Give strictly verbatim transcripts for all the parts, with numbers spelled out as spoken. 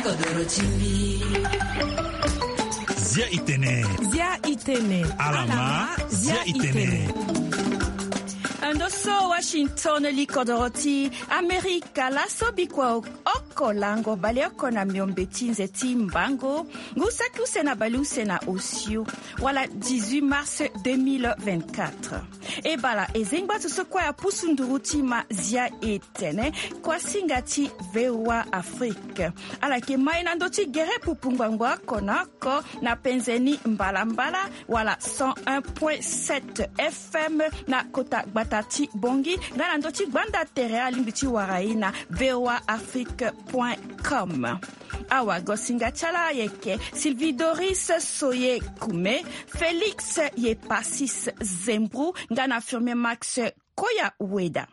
Zia itene. Zia itene. Alama. Zia itene. Ndo so Washington, li kodoro ti Amerika, laso bikua oko lango baleoko na miombe ti nze ti mbango, ngu saki use na baleuse na osio, wala dix-huit mars deux mille vingt-quatre. E bala e zengba so so kue apusu nduru ti ma zia e tene, kuasinga ti VOA Afrique. Ala yeke ma e na ndö ti gere pupu ngbangbo oko na oko na penze ni mbalambala, wala cent un point sept F M na kota gbata ti Bongi, nga na ndö ti gbanda tere alingbi ti wara e na VOA Afrique point com. Awagosinga ti ala ayeke Sylvie Doris Soye Kume, Félix Yepasis Zembru, nga na Firmin Max Koya Weda.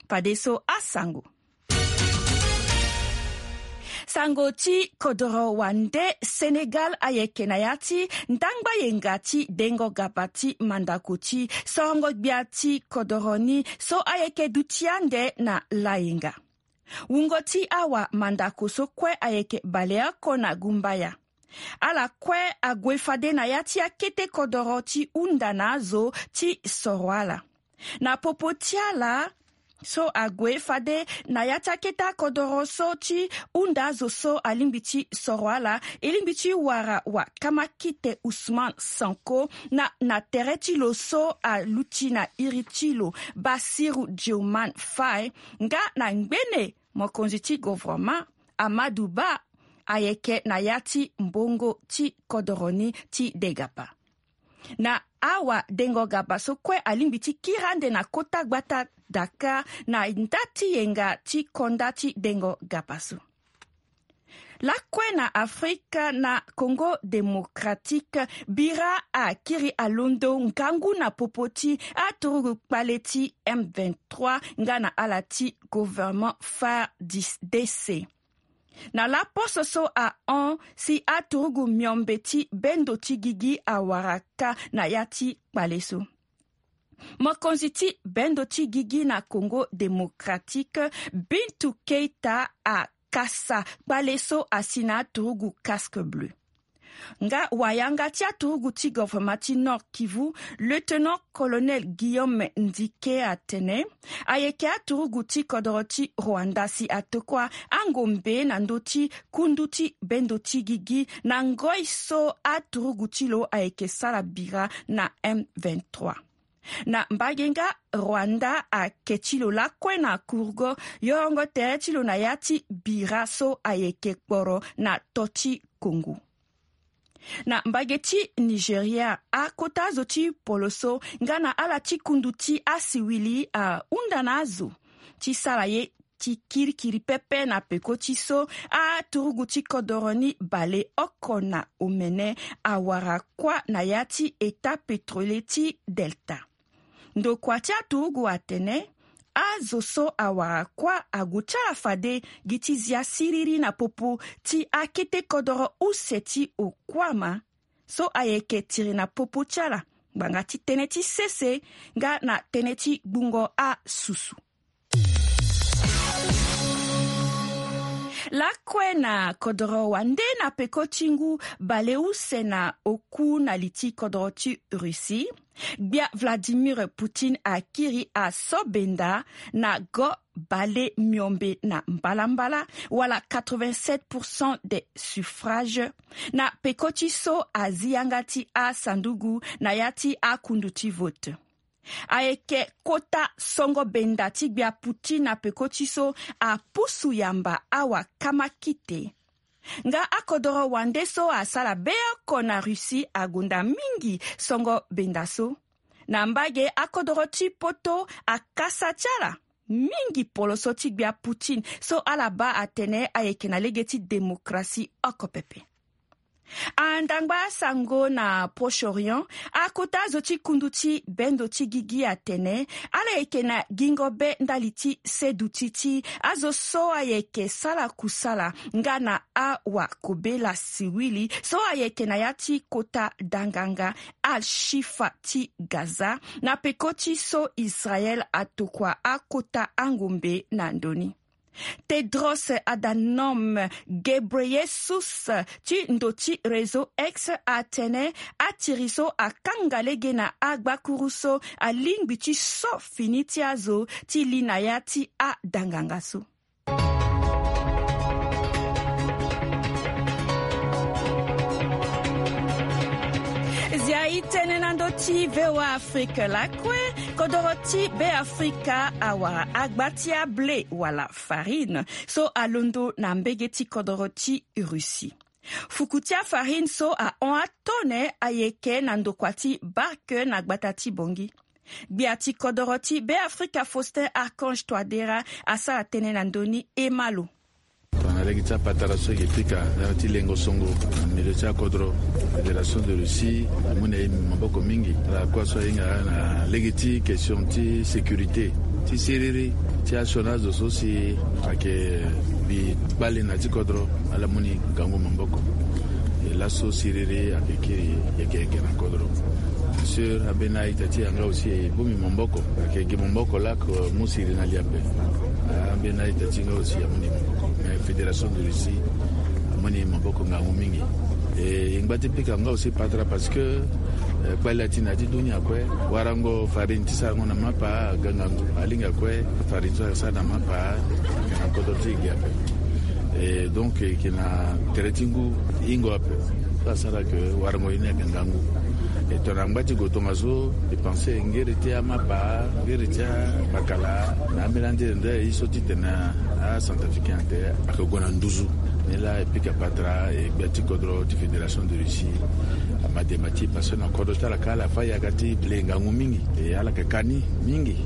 Fadeso asango. Sango ti kodoro wande Sénégal ayeke na ya ti ndangba yenga ti dengo gaba ti mandako ti sorongo gbia ti kodoro ni so ayeke duti ande na layenga. Wungo ti awa mandako so kue ayeke baleoko na gumbaya. Ala kue ague fade na ya ti akete kodoro ti hunda na azo ti soro ala. Na popo ti ala so ague fade na ya ti akete akodoro so ti hunda azo so alingbi ti soro ala, e lingbi ti wara wakama kite Ousmane Sanko na, na tere ti lo so aluti na iri ti lo Bassirou Diomaye Faye, nga na ngbene mokonzi ti govoroma Amadou Ba ayeke na ya ti mbongo ti kodoro ni ti degapa. Na awa dengo gaba so kue alingbi ti kiri ande na kota gbata Dakar na nda ti yenga ti konda ti dengo gaba so. Lakue na Afrika, na Congo Démocratique, bira akiri alondo ngangu na popo ti aturugu kpale ti M vingt-trois nga na ala ti gouvernement FARDC. Na laposo so ahon si aturugu miombe ti bendo ti gigi awara kâ na ya ti kpale so. Mokonzi ti bendo ti gigi na Congo Démocratique, Bintou Keita, akasa kpale so asi na aturugu Casque Bleu. Nga wayanga ti aturugu ti gouvernement ti Nord-Kivu, lieutenant-colonel Guillaume Ndike, atene ayeke aturugu ti kodoro ti Rwanda si atokua angombe na ndö ti kundu ti bendo ti gigi na ngoi so aturugu ti lo ayeke sara bira na M vingt-trois. Na mbage nga, Rwanda ake ti lo lakue na kurugo yorongo tere ti lo na ya ti bira so ayeke kporo na to ti Congo. Na mbage ti Nigeria, akota azo ti poloso nga na ala ti kundu ti asiwili ahunda na azo ti sara ye ti kirikiri pepe na peko ti so aturugu ti kodoro ni baleoko na omene awara kuâ na ya ti État pétrolier ti Delta. Ndokua ti aturugu atene azo so awara kuâ ague ti ala fade gi ti zia siriri na popo ti akete kodoro use ti okuama so ayeke tiri na popo ti ala ngbanga ti tënë ti sese nga na tënë ti gbungo asusu. Lakue na kodoro wande, na peko ti ngu baleuse na oku na li ti kodoro ti Russie, gbia Vladimir Poutine akiri aso benda na go bale miombe na mbalambala, wala quatre-vingt-sept pour cent des suffrages, na peko ti so azi yanga ti asanduku na ya ti akundu ti vote. Ayeke kota songo benda ti gbia Poutine na peko ti so apusu yamba awa kamakite. Nga akodoro wande so asara beoko na Russie agonda mingi songo benda so. Na mbage, akodoro ti poto akasa ti ala mingi poloso ti gbia Poutine so ala baa atene ayeke na lege ti démocratie oko pepe. Andangba asango na Proche-Orient, akota azo ti kundu ti bendo ti gigi atene ala yeke na gingo be ndali ti seduti ti azo so ayeke sara kusala nga na awakobela siwili so ayeke na ya ti kota danganga Al-Shifa ti Gaza, na peko ti so Israel atokua akota angombe na ndö ni. Tedros Adhanom Ghebreyesus ti ndo ti réseau X atene atiri so akanga lege na agbakuru so alingbi ti so fini ti azo ti li na ya ti adanganga so. Zia itene na ndo ti VOA Afrique lakue. Kodoro ti Be Afrika awara agba ti ablé wala farine so alondo na mbege ti kodoro ti Russie. Fuku ti afarine so ahon atone ayeke na ndokua ti barke na gbata ti Bongi. Gbia ti kodoro ti Be Afrika Faustin Archange Touadéra asara tënë na ndö ni. Ema lo. Tongana lege ti apatara so eke pika na ya ti lengo songo na milieu ti akodro. Fédération de Russie amu na e maboko mingi ala kue so ahinga na lege ti question ti sécurité ti siriri ti asioni azo so si ayeke bi kpale na ti kodro. Ala mu ni ngangu maboko. E laso siriri ayeke kiri yeke yeke na kodro. Sur ambeni a-ita ti e nga aussi e bongbi maboko. Ayeke gi maboko lako mu siriri na li ape. Ambeni a-ita ti e nga aussi amu ni maboko. Mais Fédération de Russie amu ni maboko ngangu mingi. E ngba ti pika nga aussi patara parce que kpale ati na ya ti dunia kue. Warango farine ti sarango na mapa aga ngangu. Alingbi kue farine so asara na mapa ayeke na kodro ti e gi ape. E donc e yeke na tere ti ngu hingo ape. So asara ke warango ye ni ayeke ngangu. E tongana ngba ti go tongaso e pense ngere ti amapa ngere ti amakala na ambeni andele nde ye so titene acentrafricain ate ayeke gue na nduzu. Ni laa e pika patara e gbia ti kodro ti Fédération de Russie ama dema ti e parce que na kodro ti ala kâ ala fâ yaka ti blé ngangu mingi. E ala yeke ka ni mingi.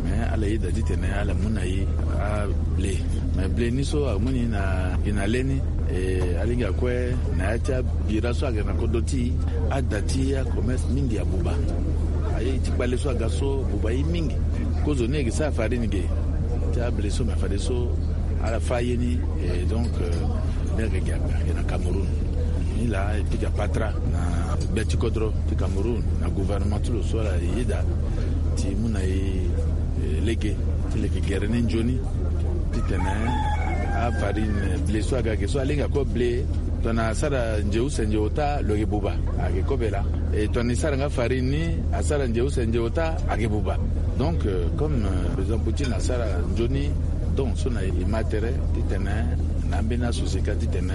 Mais ala yeda titene ala mu na e ablé. Mais blé ni so amu ni na gi na le ni. E alingbi akue na ya ti abira so ayeke na kodro ti e ada ti acommerce mingi abuba. Aye ti kpale so aga so abuba ye mingi. Kozo ni ayeke sara farine ge ti ablé so mais fadeso ala fâ ye ni. E donc ni ayeke gi ape ayeke na Cameroun. Ni laa e pika patara na gbia ti kodro ti Cameroun na gouvernement ti lo so ala yeda ti mu na e lege ti leke gere ni nzoni titene afarine blé so aga ge so alingbi akue blé. Tongana asara nze use nze ota lo yeke buba ayeke kobe laa. E tongana e sara nga farine ni asara nze use nze ota ayeke buba. Donc comme président Poutine asara nzoni don so na e ma tere titene na ambeni asociété titene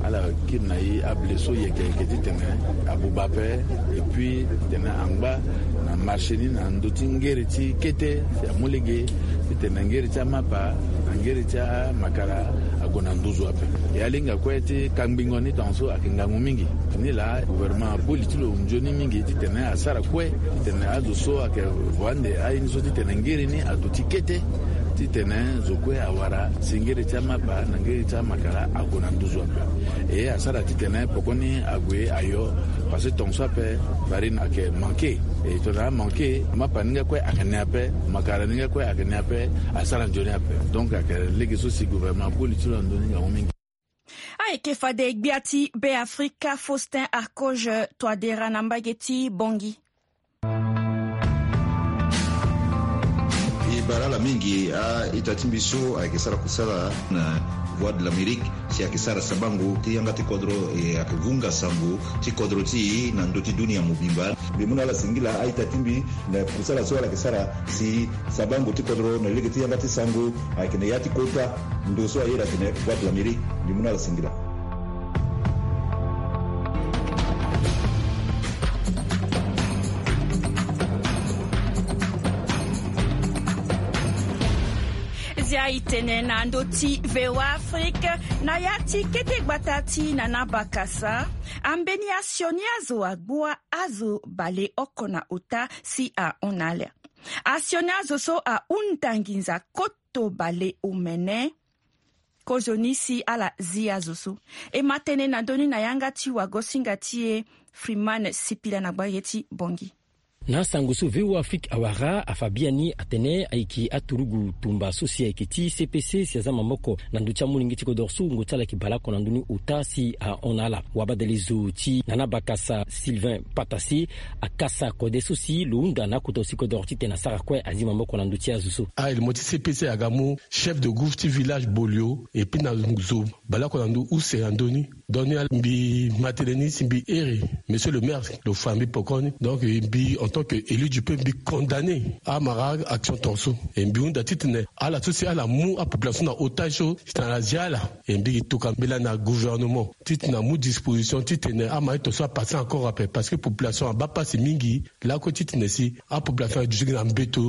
ala kiri na e ablé so yeke yeke titene abuba ape. Et puis titene angba na marché ni na ndö ti ngere ti kete si amu lege titene ngere ti amapa na ngere ti amakala ague na nduzu ape. E alingbi akue ti kangbingo ni tongaso ayeke ngangu mingi. Ni laa gouvernement aboli ti lo nzoni mingi titene asara kue titene azo so ayeke vo ande aye ni so titene ngere ni aduti kete titene zo kue awara si ngere ti amapa na ngere ti amakala ague na nduzu ape. E asara titene poko ni ague ayo. Parce que tongaso ape farine ayeke manke. E tongana amanke mapa ni nga kue ayeke ne ape. Makala ni nga kue ayeke ne ape. Asara nzoni ape. Donc ayeke lege so si gouvernement aboli ti lo na ndö ni ngangu mingi. Ayeke fade gbia ti Be Afrika Faustin Archange Touadéra na mbage ti Bongi. E bara ala mingi a-ita ti mbi so ayeke sara kusala na Voix de l'Amérique si ayeke sara sabango ti yanga ti kodro e ayeke vunga sango ti kodro ti e na ndö ti dunia mobimba. Mbi mu na ala singila a-ita ti mbi na kusala so ala yeke sara si sabango ti kodro na lege ti yanga ti sango ayeke na ya ti kota. Ndo so ayeda atene Voix de l'Amérique. Mbi mu na ala singila. Zia itene na ndö ti VOA Afrique na ya ti kete gbata ti Nana Bakasa. Ambeni asioni azo agbu azo baleoko na ota si ahon na ala. Asioni azo so ahunda nginza koto baleomene. Kozoni si ala zi azo so. E ma tënë na ndö ni na yanga ti wagosinga ti e Freeman Sipila na gbage ti Bongi. Na asango so V O A Afrique awara afa biani atene ayeke aturugu tumba so si ayeke ti C P C si aza maboko na ndö ti amolenge ti kodoro so wungo ti ala ayeke baleoko na ndö ni ota si ahon na ala. Wabadelezo ti Nana Bakasa Sylvain Patase akasa kode so si lo hunda na akota aussi kodoro titene asara kue azi maboko na ndö ti azo so. Ah, e le mo ti C P C aga mu chef de groupe ti village Bolio, et puis na zo baleoko na ndö use na ndö ni. Donc ni ala mbi ma tënë ni si mbi iri monsieur le maire, lo fa mbi pekoni. Donc mbi en tant que élu du peuple mbi condamné amara action tongaso. Et mbi hunda titene ala so si ala mu apopulation na otage so si tena ala zia ala. Et mbi yeke tokua mbela na gouvernement titene amu disposition titene amara tongaso apasse encore ape, parce que population abaa pasi mingi. Lakue titene si apopulation aduti gi na mbeto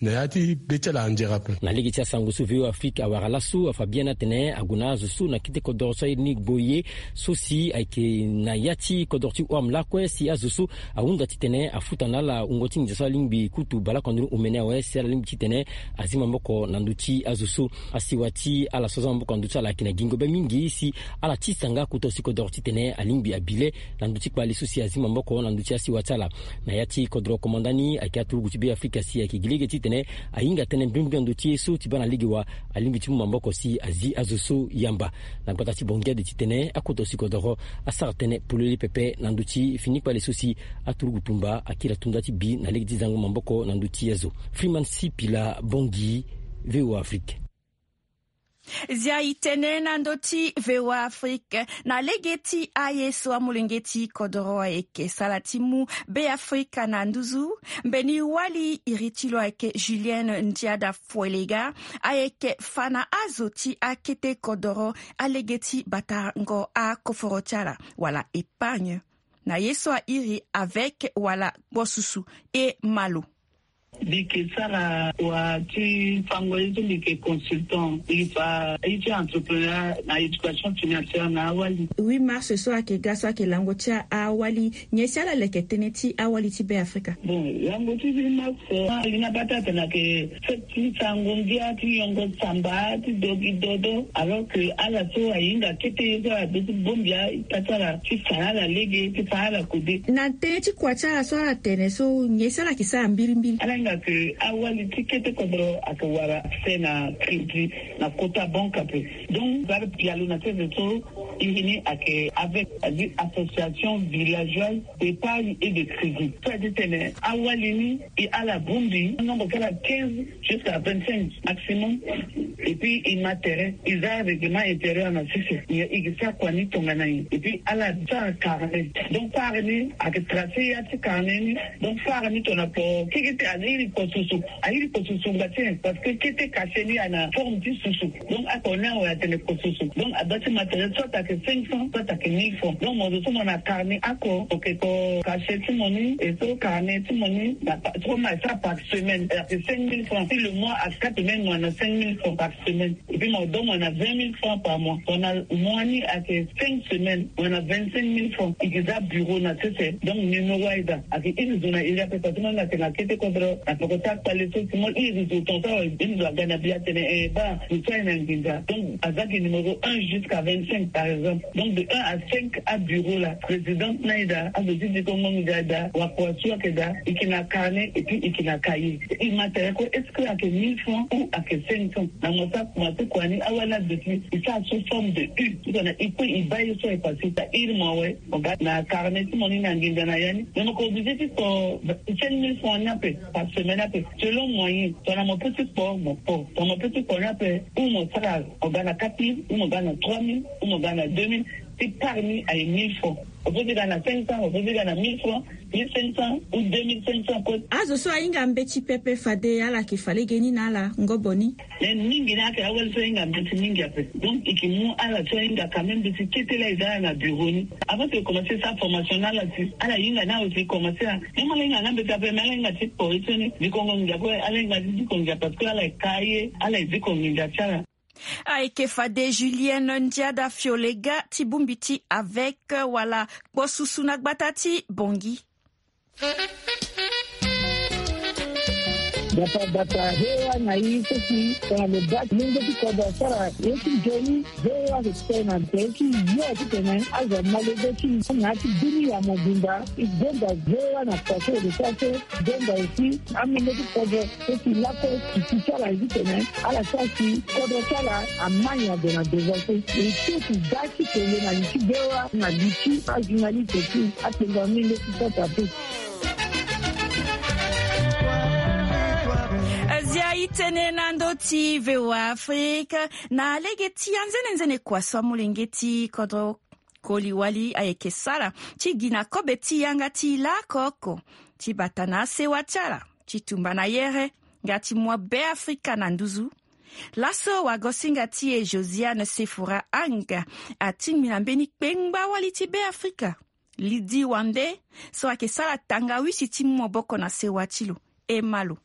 na ya ti be ti ala anzere ape. Na lege ti asango so V O A Afrique awara laso afa biani atene ague na azo so na kete kodoro so airi ni Gboye so si ayeke na ya ti kodoro ti Ouarm lakue si azo so ahunda titene afuta na ala wungo ti nginza so alingbi kutu baleoko na ndö ni omene awe si ala lingbi titene azi maboko na ndö ti azo so. Asiwa ti ala so aza maboko na ndö ti ala ayeke na gingo be mingi si ala tisa nga kota si kodoro titene alingbi abi le na ndö ti kpale so si azi maboko na ndö ti asiwa ti ala. Na ya ti kodoro komanda ni ayeke aturugu ti Be Afrika si ayeke gi lege titene ahinga tënë mbrimbri na ndö ti ye so ti baa na lege wa alingbi ti mu maboko si azi azo so yamba. Na gbata ti Bangui ade titene akota si kodoro asara tënë polele pepe na ndö ti fini kpale so si aturugu tumba akiri tunda ti bi na lege ti zango maboko na ndö ti azo. Freeman Sipila, Bangui, V O A Afrique. Zia e tene na ndö ti V O A Afrique na lege ti aye so amolenge ti kodoro ayeke sara ti mu Be Afrika na nduzu. Mbeni wali iri ti lo ayeke Julienne Ndiada Foelega, ayeke fa na azo ti akete kodoro alege ti batango akoforo ti ala wala épargne na ye so airi avec wala kposusu e malo. Mbi yeke sara wa ti fango ye so mbi yeke consultant, mbi fa ye ti entrepreneur na éducation financière na awali. Huit mars so ayeke ga so ayeke lango ti awali, nyen si ala leke tënë ti awali ti Be Afrika? Bon, lango ti huit mars, ah, ali na bata atene ayeke fête ti sango ngia ti yongo samba ti dogi dodo, alors que ala so ahinga kete ye so ala be ti bongbi ita ti ala ti fa na ala lege ti fa na ala kode. Na tënë ti kua ti ala so ala tene so, nyen si ala yeke sara mbirimbiri? Ala hinga ke awali ti kete kodro ayeke wara accès na crédit na kota banque ape. Donc ala pialo na sese so iri ni ayeke avec, c'est-à-dire association villageoise d'épargne et de crédit. So a ti tene awali ni e ala bongbi nombre ti ala quinze jusqu'à vingt-cinq maximum. Et puis e ma tere, e za règlement intérieur na sese. E, e yeke sara kua ni tongana nyen? Et puis ala sara carnet. Donc sara ni ayeke tracer ya ti carnet ni. Donc sara ni tongana kpo keke ti ala iri kpo susu. Airi kpo susu ngba ti nyen? Parce que kete cachet ni ayeke na forme ti susu. Donc ako ni awe atene kpo susu. Donc a doit ti ma tere soit ayeke cinq cents, soit ayeke mille francs. Donc mo zo so mo na carnet ako, ok, ko cachet ti mo ni, e so carnet ti mo ni na pa-, so mo na sara par semaine, ayeke cinq mille francs. Si le mois a quatre semaines, mo na cinq mille francs par semaine. Et puis mo donne, mo na vingt mille francs par mois. Mo na mois ni ayeke cinq semaines, mo na vingt-cinq mille francs. E yeke za bureau na sese. Donc numéro ayeke za, ayeke iri zo na iri ape, parce que mo na tene na kete kodro na peko ti akpale so si mo iri zo tongaso awe, iri zo aga na bi atene, eh, baa, zo so aye na nginza. Donc aza gi numéro un jusqu'à vingt-cinq par exemple. Donc de un à cinq abureau la, présidente ni ayeke daa, azo ti dikongo nginza ayeke daa, wakua so ayeke daa, e yeke na carnet et puis e yeke na cahier. E ma tere kue est-ce que ayeke mille francs ou ayeke cinq cents? Na mo sara kua ti kua ni, awali azo ti e sara sous forme de U. Tongana e kue e baa ye so ayeke passé, ta iri mo awe, mo ga na carnet ti mo ni na nginza na ya ni. Mais mo yeke obligé ti kpo cinq mille francs ni ape par semaine ape, selon moyen. Tongana mo peut ti kpo, mo kpo. Tongana mo peut ti kpo ni ape, ou mo sara, mo ga na quatre mille, ou mo ga na trois mille, ou mo ga na deux mille. Ti part ni aye mille francs. Mo peut ti ga na cinq cents, mo peut ti ga na mille francs, mille cinq cents ou deux mille cinq cents kue. Azo so ahinga mbeti pepe fade ala yeke fa lege ni na ala ngobo ni. Mais mingi ni ayeke awali so ahinga mbeti mingi ape. Donc e yeke mu ala so ahinga quand même mbeti kete laa e za ala na bureau ni. Avant ti e commencer sara formation na ala si ala hinga ni awe si e commencer a. Même ala hinga nga mbeti ape, mais ala hinga ti kpo ye so ni dikongo nginza kue, ala hinga ti dikongo nginza parce que ala yeke ka ye, ala yeke dikongo nginza ti ala. Ayeke fade Julienne Ndiada Fiolega ti bongbi ti avec wala kpo susu na gbata ti Bangui. Data data hewa na i seki tena lo bati lenge ti kodro asara ye ti joni. Hewa seki tena te ti yo ti tene azo malege ti na ti bini ya mobimba. I gonda hewa na kua so e de sa so. Gonda aussi amenge ti kodro so si lako ti ti ti ala ye ti tene ala sa si kodro ti ala amani ade na devant so. E so ti da ti tene na li ti hewa na li ti ajournaliste ti atengo amenge ti kota pe. Azia i tene na ndö ti VOA Afrique. Na lege ti anzene nzene kua so amolenge ti kodro koli wali ayeke sara ti gi na kobe ti yanga ti lako oko ti bata na asewa ti ala ti tumba na yere nga ti mu abe Afrika na nduzu. Laso wagosinga ti e Josiane Sefora Anga atingbi na mbeni kpengba wali ti be Afrika Lidi Wande so ayeke sara tangawisi ti mu maboko na sewa ti lo. E ma lo.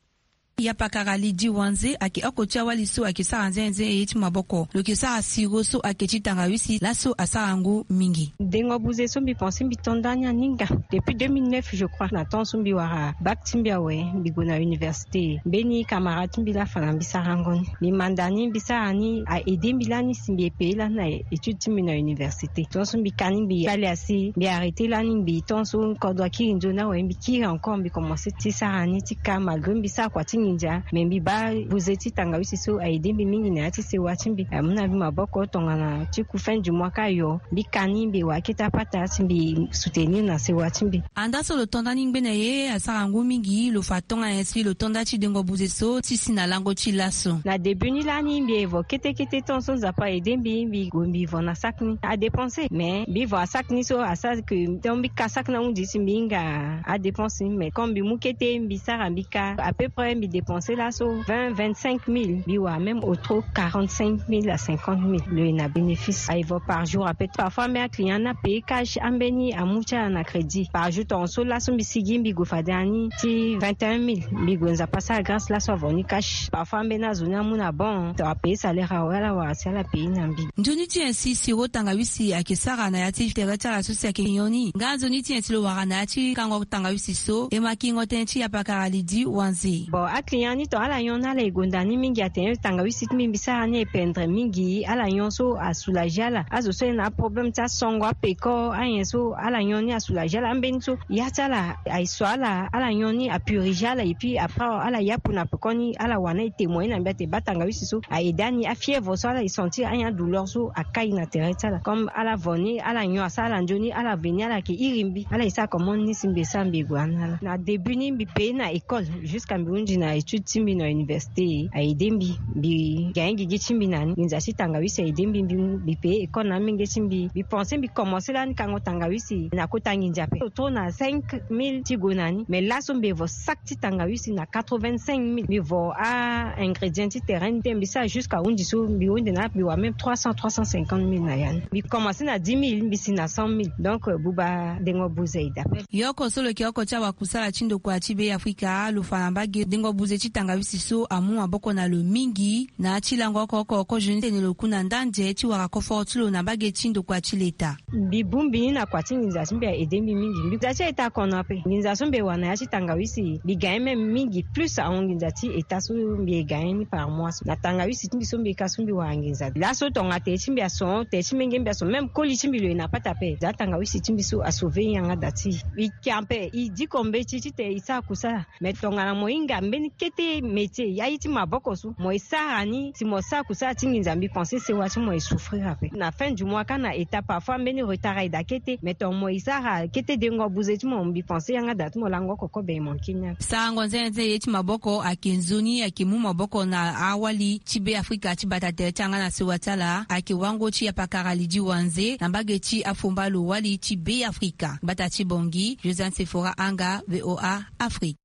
Yapakara Lidi Wanze ayeke oko ti awali so ayeke sara nzenze ye ti maboko. Lo yeke sara siro so ayeke ti tangawisi laso asara ngu mingi. Dengo buze so mbi pense mbi to nda ni aninga depuis deux mille neuf je crois na temps so mbi wara bac ti mbi awe mbi gue na université. Mbeni camarade ti mbi laa fa na mbi sarango ni. Mbi manda ni mbi sara ni a aide mbi lani si mbi e paye lani na étude ti mbi na université. Tant so mbi ka ni mbi bale asi mbi arrêter lani mbi tant so kodro akiri nzoni awe mbi kiri encore mbi commencer ti sara ni ti ka malgré mbi sara kua ti nginza mais mbi baa buze ti tangawisi so a aide mbi mingi na ya ti sewa ti mbi amu na mbi maboko tongana ti ku fin du mois ka yo mbi ka ni mbi wara kete apata si mbi soutenir na sewa ti mbi. Andaa so lo to nda ni ngbene ye asara ngu mingi lo fa tongana nyen si lo to nda ti dengo buze so ti si na lango ti laso. Na début ni lani mbi evo kete kete tant so nzapa aide mbi mbi gue mbi vo na sac ni adépenser mais mbi vo asac ni so asara ke tant mbi ka sac ni ahunzi si mbi hinga adépense ni mais comme mbi mu kete mbi sara mbi ka à peu près mbi dépenser laso vingt vingt-cinq mille mbi wara même au trop quarante-cinq mille à cinquante mille lo ye na bénéfice aye vo par jour à peu parfois mbi aclient ni apaye cash ambeni amu ti ala na crédit par jour tonga so laso mbi sigi mbi gue fade ani ti vingt et un mille mbi gue nzapa asara grâce laso avo ni cash parfois ambeni azo ni amu na bon to apaye salaire awe ala wara si ala paye na mbi. Nzoni ti nyen si siro tangawisi ayeke sara na ya ti tere ti ala so si ayeke nyon ni nga nzoni ti nyen si lo wara na ya ti kango tangawisi so e ma kingo tënë ti yapakara Lidi Wanze. Bon aclient ni tonga ala nyon ni ala e gonda ni mingi atene tangawisi ti mbi mbi sara ni ependre mingi ala nyon so asoulager ala azo so aye na aproblème ti asongo apeko anyen so ala nyon ni asoulager ala ambeni so ya ti ala aye so ala ala nyon ni apuriger ala et puis après ala yapu na pekoni ala wara na e témoigner na mbi ate baa tangawisi so a aide ani afièvre so ala e sentir anyen adouleur so akai na tere ti ala comme ala vo ni ala nyon asara ala nzoni ala veni ala yeke iri mbi ala e sara comment ni si mbi e sara mbi e gue ani na ala na début ni mbi paye na école jusqu'à mbi hunzi na étude ti mbi na université a aide mbi mbi gagne gigi ti mbi na ni nginza ti tangawisi a aide mbi mbi paye école na amenge ti mbi mbi pense mbi commencer lani kango tangawisi na kota nginza ape lo trop na cinq mille ti gue na ni mais laso mbi evo sac ti tangawisi na quatre-vingt-cinq mille mbi vo a ingrédient ti terrain ni te mbi sara jusqu'à hunzi so mbi hunzi na mbi wara même trois cents trois cent cinquante mille na ya ni mbi commencer na dix mille mbi si na cent mille donc buba dengo buze e dape. Yo oko so lo yeke oko ti awakusala ti ndokua ti be afrika lo fa na mbage dengo buze ti tangawisi so amu maboko na lo mingi na ya ti lango oko oko kozo ni tene lo ku na ndanze ti wara koforo ti lo na mbage ti ndokua ti leta. Mbi bongbi ni na kua ti nginza ti mbi a aide mbi mingi mbi nginza ti eta kono ape nginza so mbi e wara na ya ti tangawisi mbi gagne même mingi plus ahon nginza ti eta so mbi e gagne ni par mois so na tangawisi ti mbi so mbi e ka so mbi wara nginza laso tonga tere ti mbi aso tere ti menge mbi aso même koli ti mbi lo e na pata ape za tangawisi ti mbi so asauve yanga da ti e. E ke ape e diko mbeti titene e sara kusala. Mais tongana mo hinga mbeni kete métier ya ye ti maboko so mo e sara ni si mo sara kusala ti nginza mbi pense sewa ti mo e souffrir ape na fin du mois kâ na état parfois mbeni retard aye daa kete mais tongana mo e sara kete dengo buze ti mo mbi pense yanga daa ti mo lango oko kobe e manke ni ape. Sarango nzenze ye ti maboko ayeke nzoni ayeke mu maboko na awali ti be afrika ti bata tere ti yanga na sewa ti ala ayeke wango ti yapakara lidi wanze na mbage ti afomba lo wali ti be afrika bata ti bongi josiane sefora anga voa afrika.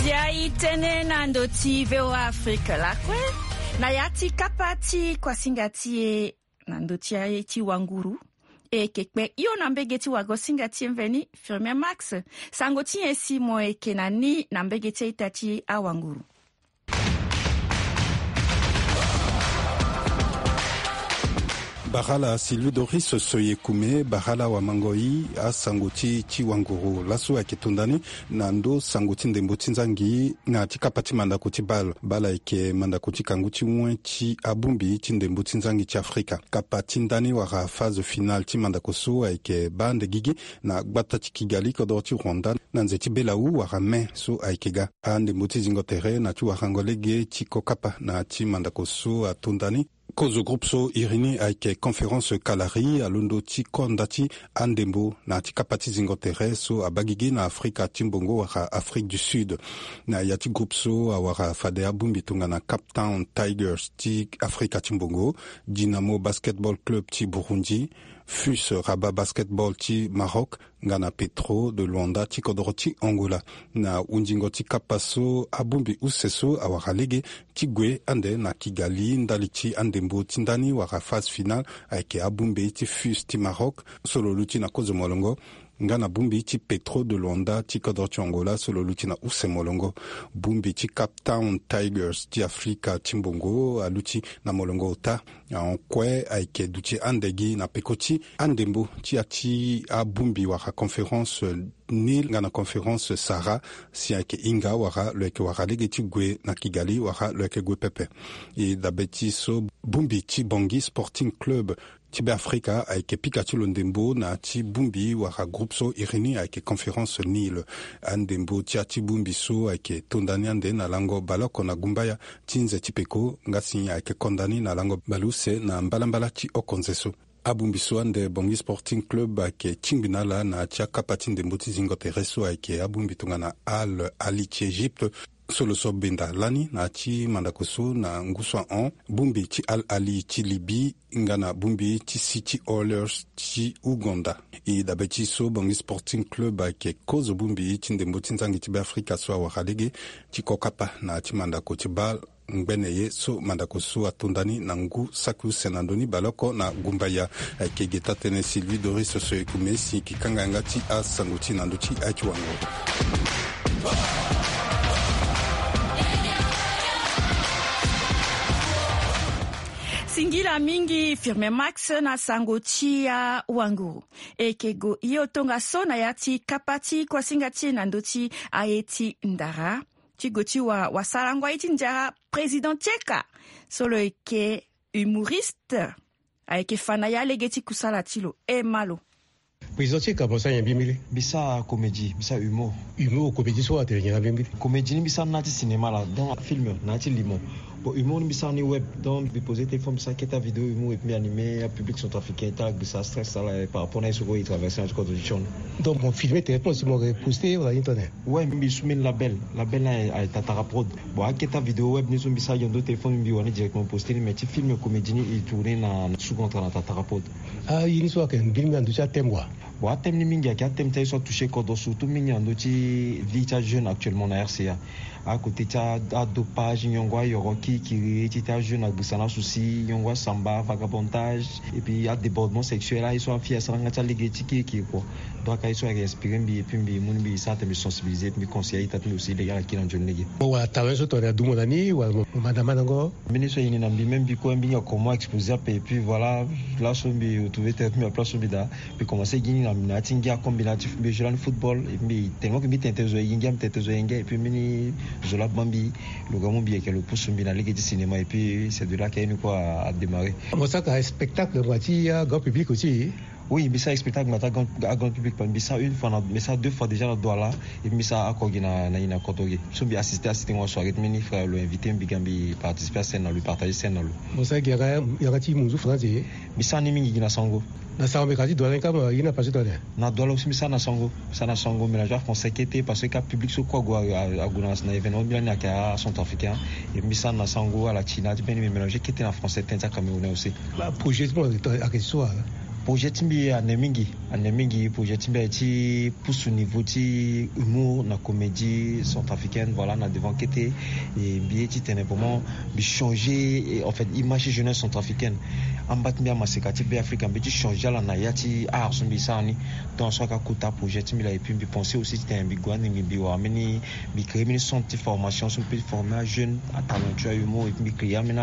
Zia i tënë na ndö ti voa afrika lakue na ya ti kapa ti kuasinga ti e na ndö ti aye ti wanguru. E yeke kpe hio na mbege ti wagosinga ti e mveni firmien max. Sango ti nyen si mo yeke na ni na mbege ti a-ita ti awanguru? Barala Sylvie Doris Soyekume, barala wa mango i asango ti ti wanguru laso ayeke tonda ni na ndo sango ti ndembo ti nzangi na ti kapa ti mandako ti bal. Bal ayeke mandako ti kangu ti wen ti abongbi ti ndembo ti nzangi ti Afrika. Kapa ti ndani wala phase finale ti mandako so ayeke baa ande gigi na gbata ti Kigali kodoro ti Rwanda na nze ti belawu wala mai so ayeke ga. Andembo ti zingo tere na ti warango lege ti kokapa na ti mandako so atonda ni. Kozo groupe so iri ni ayeke Conférence Kalari alondo ti konda ti andembo na ti kapa ti zingo tere so abaa gigi na Afrika ti mbongo wala Afrique du Sud. Na ya ti groupe so awara fade abongbi tongana Cape Town Tigers ti Afrika ti mbongo, Dynamo Basketball Club ti Burundi, FUS Rabat Basketball ti Maroc, nga na Petro de Luanda ti kodoro ti Angola. Na hunzingo ti kapa so abongbi use so awara lege ti gue ande na Kigali ndali ti andembo ti ndani wala phase finale ayeke abongbi ti FUS ti Maroc so lo luti na kozo molongo, nga na bongbi ti Petro de Luanda ti kodoro ti Angola so lo luti na use molongo. Bongbi ti Cape Town Tigers ti Afrika ti mbongo aluti na molongo ota. Ahon kue ayeke duti ande gi na peko ti andembo ti ya ti abongbi wala conférence Nil nga na conférence Sahara, si ayeke hinga wala lo yeke wara lege ti gue na Kigali wala lo yeke gue pepe. E dabe ti so, bongbi ti Bangui Sporting Club ti Beafrika ayeke pika ti lo ndembo na ya ti bongbi wala groupe so iri ni ayeke Conférence Nil. Andembo ti ya ti bongbi so ayeke tonda ni ande na lango baleoko na gumbaya ti nze ti peko, nga si ayeke konda ni na lango baleuse na mbalambala ti okonze so. Abongbi so ande Bangui Sporting Club ayeke tingbi na ala na ya ti akapa ti ndembo ti zingo tere so ayeke abongbi tongana Al Ahly ti Egypte. So lo so benda lani na ya ti mandako so na ngu so ahon, bongbi ti Al Ahly ti Libye nga na bongbi ti City Oilers ti Ouganda. E dabe ti so Bangui Sporting Club ayeke kozo bongbi ti ndembo ti nzangi ti Beafrika so awara lege ti kokapa na ya ti mandako ti bal ngbene ye so mandako so atonda ni na ngu saki use na ndö ni baleoko na gumbaya. Ayeke ge taa-tënë Sylvie Doris Soyekume si yeke kanga yanga ti asango ti na ndö ti aye ti wanguru. Singila mingi Firme Max na sango ti awanguru. E yeke go hio tongaso na ya ti kapa ti kuasinga ti e na ndö ti aye ti ndara. Ti go ti wa, wasarango aye ti nzara président Tieka so lo yeke humoriste. Ayeke fa na ya lege ti kusala ti lo. E ma lo. Président Tieka, mo sara nyen mbi mbili? Mbi sara comédie, mbi sara humour. Humour, comédie so atene nyen na mbi mbili? Comédie ni mbi sara na ya ti cinéma la, donc film na ya ti limo. Bon, humour ni mbi sara ni web, donc mbi poser téléphone, mbi sara kete avidéo humour et puis mbi animer apublic centrafricain ti ala gbisa stress ti ala par rapport na ye so kue e traverser na ti kodro ti tion. Donc mo filmer directement si mo reposter wala ye ni tene? Ouais, mbi su mbeni label, label ni aye Tatara Prod. Bon, akete avidéo web ni so mbi sara gi na ndo téléphone, mbi wani directement poster ni, mais ti film comédie ni e tourner na second na Tatara Prod. Ah, ye ni so ayeke mbeni na ndö ti athème wa? Bon, athème ni mingi ayeke athème ti aye so atoucher kodro, surtout mingi na ndö ti vie ti ajeune actuellement na R C A. Akote ti adopage, nyongo ayoro kirikiri ti ti ajeune agbisa na souci, nyongo asamba, vagabondage et puis adébordement sexuel, aye so afille asara nga ti alege ti kirikiri kua. Donc aye so ayeke inspiré mbi et puis mbi mu ni mbi sara tene mbi sensibiliser et puis mbi conseiller aita ti mbi aussi lege ala kiri na nzoni lege. Bon, wala talent so tongana adumu na ni wala mo manda mandango? Mbeni so e yini na mbi même mbi kue mbi hinga comment exposer ape et puis voilà. Laso mbi retrouver tene ti mbi na place so mbi daa. Mbi commencer gi ni na, na ya ti ngia comme mbi na ya ti mbi joue lani football et puis mbi tellement que mbi tene tene zo e gi ngia, mbi tene tene zo e ngia et puis mbeni zo laa baa mbi lo ga mu mbi yeke lo pusu mbi na lege ti cinéma et puis c'est de là que ye ni kue a démarrer. Mo sara spectacle ngbanga ti grand public aussi? Oui, mbi sara spectacle ngbanga ti grand, grand public, mbi sara une fois na, mbi sara deux fois déjà na Douala. Et puis mbi sara oko gi na, na, na Kotoge. So mbi assister, assister ngo soirée ti mbeni frère lo invité mbi ga mbi participer à scène na lo, partager scène na lo. Mo sara gi yanga, yanga ti munzu français? Mbi sara ni mingi gi na Sango. Na Sango mbi ka ti Douala ni kâ, ma ye ni na place ti Douala? Na Douala aussi mbi sara na Sango. Mbi sara na Sango, mélanger français kete parce que kâ public so kue ague, ague na, na événement mbi lani ayeke acentrafricain. Et mbi sara na Sango ala ti na ti mbeni mbi mélanger kete na français, tënë ti acamerounais aussi. Ba projet ti mo ayeke so wa? Projet ti mbi ane mingi, ane mingi. Projet ti mbi aye ti pusu niveau ti humour na comédie centrafricaine, voilà, na devant kete. E mbi ye ti tene vraiment mbi changer, en fait, image ti jeunesse centrafricaine. Amba ti mbi amaseka ti Be Afrika, mbi ti changer ala na ya ti art so mbi sara ni. Donc so aka kota projet ti mbi laa, et puis mbi pense aussi titene mbi gue ande mbi, mbi wara mbeni, mbi créer mbeni centre ti formation so mbi peut former ajeune, atalentueux, ahumo, et puis mbi créer ambeni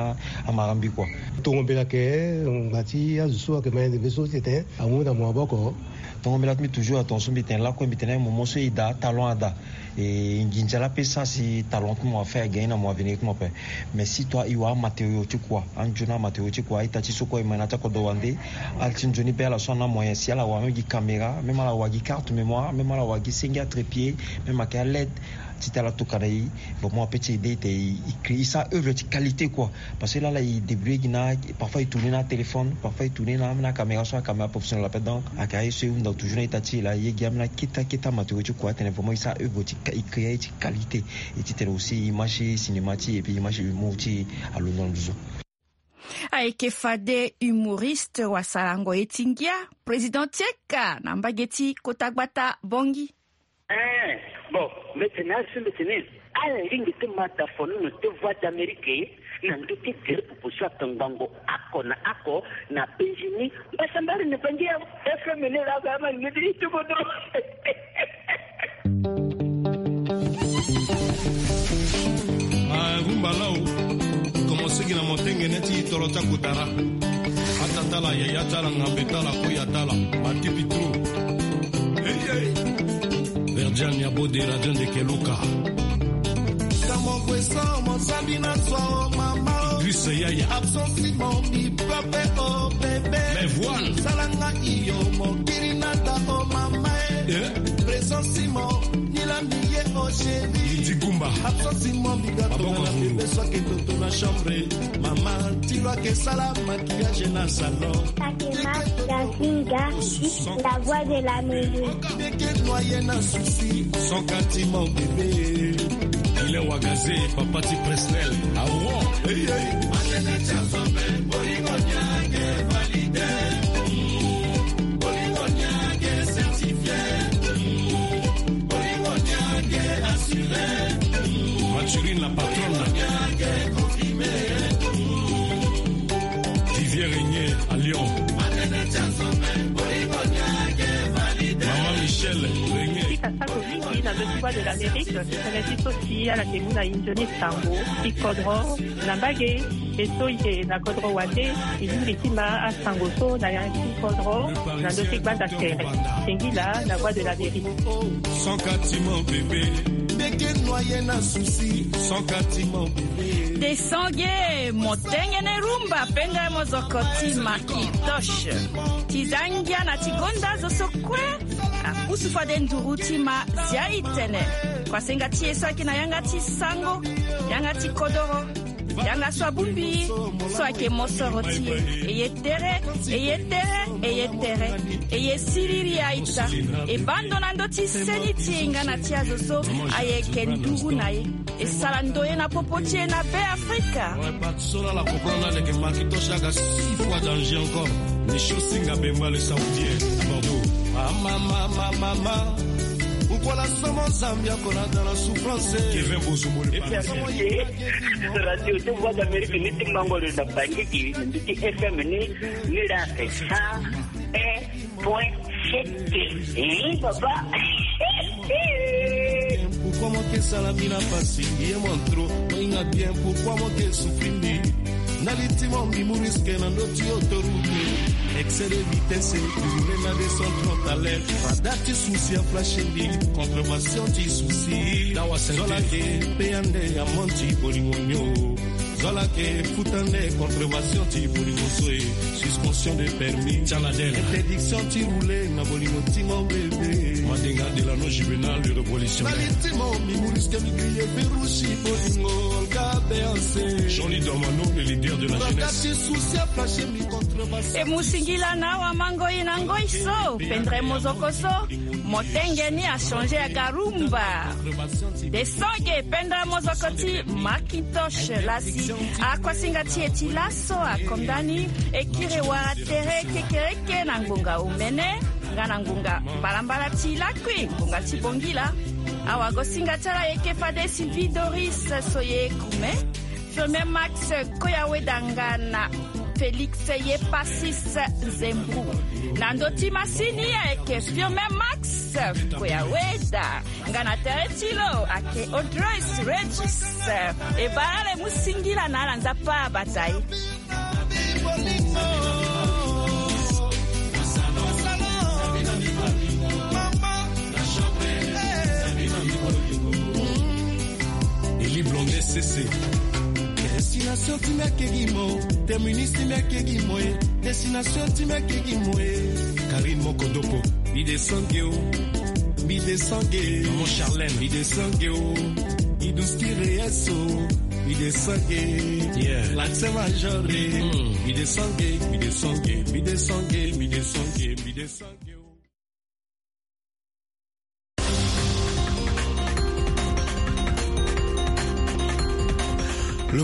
amara mbi kua. Tongo mbela ke, ngba ti azo so ayeke ma yende mbe so titene amu na mo maboko. Tongo mbela ti mbi toujours atonga so mbi tene lakue, mbi tene moment so e daa, talent ada. E nginza la pe sa si talent ti mo afa e gagner na mo avenir ti mo ape. Mais si toi e wara amatériau ti kua, anzoni amatériau ti kua, a-ita ti so kue e ma na ti akodro wande. Ala ti nzoni be ala so ana moyen si ala wara même gi caméra, même ala wara gi carte mémoire, même ala wara gi senge atrépied, même ayeke aled. Ti tala tokana e, vraiment ape ti aide e te e, e créer, e sara œuvre ti qualité kua. Parce que lala e débrouiller gi na, parfois e tourner na téléphone, parfois e tourner na, na caméra so, acaméra professionnel ape. Donc ayeke aye so e hunda toujours na ita ti e laa, e ye gi ambeni akete akete amatériau ti kua atene vraiment e sara œuvre ti, e créer ti qualité. Et titene aussi image ti cinéma ti e, et puis image ti humour ti e alondo na nduzu. Ayeke fade humoriste wasalango ye ti ngia, président ti eka na mbage ti kota gbata Bangui. Eh, bon, mbi tene asu, mbi tene ala lingbi ti ma da fonono ti Voix d'Amérique na ndö ti gere popo so atongbango oko na oko na Benjini. Mbasambari na Bangui ya F M ni laa, ama ni ti kodo. Ah, rumba lao. Commencé gi na motengene ti toro ti akutara. Ata tala, yaya tala, ngambe tala, koya tala, batipi tro. Hey, hey. Verdiane ya Bode, radio ndeke Luka. Kamo kwe so mo zambi na so, oh mama, oh. Idriss Yaya. Absence mo mi pape, oh bébé. Mais voilà. Salanga iyo mo kiri na ta, oh mama, eh. Eh? Présence mo ni la mi ye, oh chérie. Idi Kumba. Absence mo mi gato. Maboko na ngulu. Bébé so ake toto na chambre. Mama, ti lo ake sala maquillage na salon. Fatima Gazinga, la voix de l'Amérique. Beke noyé na souci, son kati mon bébé. Il est wagazé, papa ti Presnel. Awo. Hey, hey. Matene ti asombe, bolingo nyange validé. Bolingo nyange certifié. Bolingo nyange assuré. Mathurine, la patronne. Vivier Régnier à Lyon. Maman Michel Régnier. Ti ka sako mingi na ndö ti Voix de l'Amérique, tene ti so si ala yeke mu na inzoni sango ti kodro na mbage. E so e yeke na kodro wande, e lingbi ti ma asango so na yanga ti kodro na ndö ti gbanda tere. Singila na Voix de l'Amérique. Son kati mon bébé. Mbeke noyé na souci. Son kati mon bébé. Desange, motengene rumba, pendere mozoko ti Macintosh. Ti za ngia na ti gonda zo so kue apusu fade nduru ti ma zia e tene. Kuasenga ti e so ayeke na yanga ti sango, yanga ti kodoro, yanga so abongbi so ayeke mosoro ti e. E ye tere, e ye tere, e ye tere. E ye siriri a-ita. E baa ndo na ndö ti seni ti e nga na ti azo so ayeke nduru na e. E sara ndoye na popo ti e na Be Afrika. Ouais, parti so la la comprendre la leke Macintosh aga six fois danger encore. Michou Singa Bemba le Saoudien à Bordeaux. Mama, mama, mama. Pourquoi la somo Zambia qu'on a dans la souffrance? Kevin Bozomo le Parisien. Radio ti Voix d'Amérique ni ti mango le na Bangui, ni ti F M ni, ni la sa. Eh, point sept. Eh, papa. Pourquoi mo ke sala mbi na pasi? Ye mo trop. Mo hinga bien, pourquoi mo ke souffrir mbi? Na li ti mo mbi mu risque na ndö ti autoroute. Excès de vitesse, tu roules na deux cent trente à l'heure. Radar ti souci a flashe mbi, contravention ti souci. Dawa Saint-Étienne. Zola ke pe ande amende ti bolingo ni o. Zola ke futa nde contravention ti bolingo so e. Suspension de permis. Interdiction ti rouler na bolingo ti mon bébé. Madenga Delano Juvenal, le révolutionnaire. Na li ti mo mbi mu risque mbi griller verrouille bolingo. Olga Béancé. Jean-Louis Dormano, le leader de la jeunesse. Ti souci a flashe mbi contravention. E mu singila na awa mango e na ngoi so, pendere mozoko so, motenge ni a changer aga rumba. Desange, pendere mozoko ti Macintosh la si akuasinga ti e ti laso akonda ni. E kiri wara tere kekereke na ngbonga omene nga na ngbonga mbalambala ti lakui, ngbonga ti bongila. Awagosinga ti ala e yeke fade Sylvie Doris so ye kume, Firmin Max Koyawedanga na Félix Yepasis Nzembu. Na ndö ti masini ayeke Firmin Max Koyaweda. Nga na tere ti lo ayeke Audrey Regis. E bara le mu singila na ala Nzapa abata e. Eli Blonde Sese. Destination ti meke gi mo, terminus ti meke gi mo e. Destination ti meke gi mo e. Karine Mokodopo. Mi de sange o. Mi de sange. Maman Charlène. Mi de sange o. Mi dus ti reyeso. Mi de sange. Yeah. L'accent major e. Mm. Mi de sange, mi de sange, mi de sange, mi de sange, mi de sange.